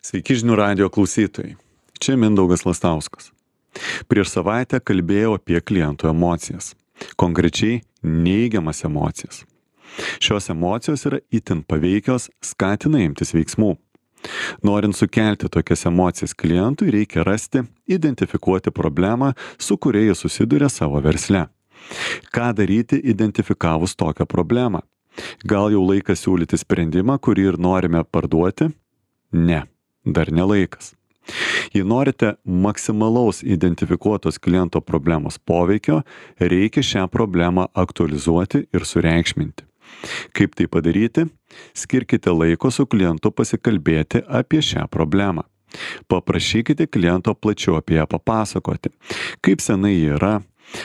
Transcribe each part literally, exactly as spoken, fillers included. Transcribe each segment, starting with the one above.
Sveiki žinių radijo klausytojai. Čia Mindaugas Lastauskas. Prieš savaitę kalbėjau apie klientų emocijas. Konkrečiai neigiamas emocijas. Šios emocijos yra itin paveikios, skatina imtis veiksmų. Norint sukelti tokias emocijas klientui, reikia rasti, identifikuoti problemą, su kuria jis susiduria savo versle. Ką daryti identifikavus tokią problemą? Gal jau laikas siūlyti sprendimą, kurį ir norime parduoti? Ne, dar ne laikas. Jei norite maksimalaus identifikuotos kliento problemos poveikio, reikia šią problemą aktualizuoti ir sureikšminti. Kaip tai padaryti? Skirkite laiko su klientu pasikalbėti apie šią problemą. Paprašykite kliento plačiau apie ją papasakoti, kaip senai ji yra,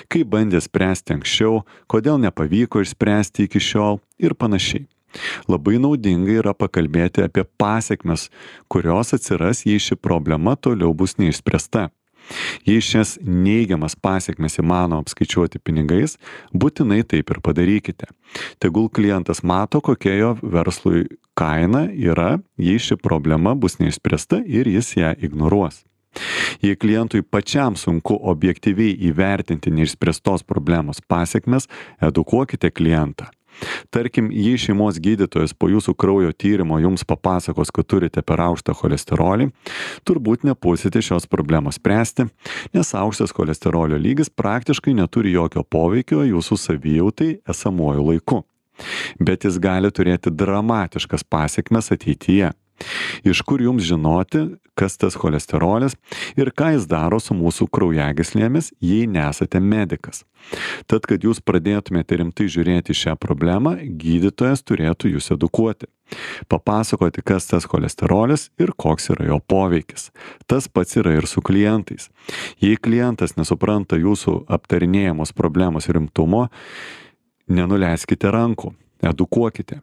kaip bandė spręsti anksčiau, kodėl nepavyko išspręsti iki šiol ir panašiai. Labai naudinga yra pakalbėti apie pasekmes, kurios atsiras, jei ši problema toliau bus neišspręsta. Jei šias neigiamas pasekmes įmanoma apskaičiuoti pinigais, būtinai taip ir padarykite. Tegul klientas mato, kokia jo verslui kaina yra, jei ši problema bus neišspręsta ir jis ją ignoruos. Jei klientui pačiam sunku objektyviai įvertinti neišspręstos problemos pasekmes, edukuokite klientą. Tarkim, jei šeimos gydytojas po jūsų kraujo tyrimo jums papasakos, kad turite per aukštą cholesterolį, turbūt nepulsite šios problemos spręsti, nes aukštas cholesterolio lygis praktiškai neturi jokio poveikio jūsų savijautai esamuoju laiku. Bet jis gali turėti dramatiškas pasekmes ateityje. Iš kur jums žinoti, kas tas cholesterolis ir ką jis daro su mūsų kraujagyslėmis, jei nesate medikas. Tad, kad jūs pradėtumėte rimtai žiūrėti šią problemą, gydytojas turėtų jūs edukuoti. Papasakoti, kas tas cholesterolis ir koks yra jo poveikis. Tas pats yra ir su klientais. Jei klientas nesupranta jūsų aptarinėjamos problemos rimtumo, nenuleiskite rankų, edukuokite.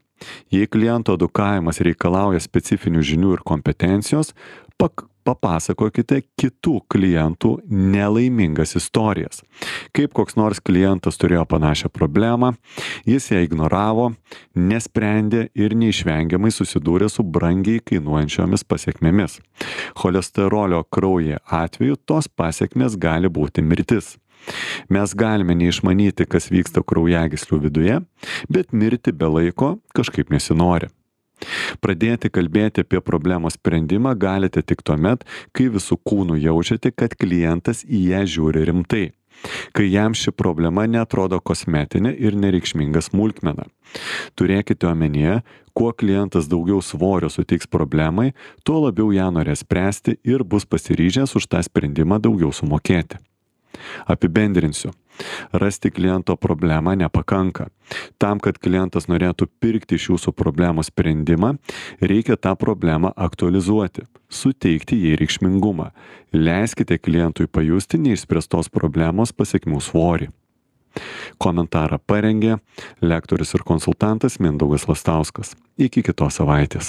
Jei kliento edukavimas reikalauja specifinių žinių ir kompetencijos, pak, papasakokite kitų klientų nelaimingas istorijas. Kaip koks nors klientas turėjo panašią problemą, jis ją ignoravo, nesprendė ir neišvengiamai susidūrė su brangiai kainuojančiomis pasekmėmis. Cholesterolio kraujyje atveju tos pasekmės gali būti mirtis. Mes galime neišmanyti, kas vyksta kraujagyslių viduje, bet mirti be laiko kažkaip nesinori. Pradėti kalbėti apie problemos sprendimą galite tik tuomet, kai visų kūnų jaučiate, kad klientas į ją žiūri rimtai, kai jam ši problema neatrodo kosmetinė ir nereikšminga smulkmena. Turėkite omenyje, kuo klientas daugiau svorio suteiks problemai, tuo labiau ją norės spręsti ir bus pasiryžęs už tą sprendimą daugiau sumokėti. Apibendrinsiu. Rasti kliento problemą nepakanka. Tam, kad klientas norėtų pirkti iš jūsų problemos sprendimą, reikia tą problemą aktualizuoti, suteikti jai reikšmingumą. Leiskite klientui pajusti neišspręstos problemos pasekmių svorį. Komentarą parengė lektorius ir konsultantas Mindaugas Lastauskas. Iki kitos savaitės.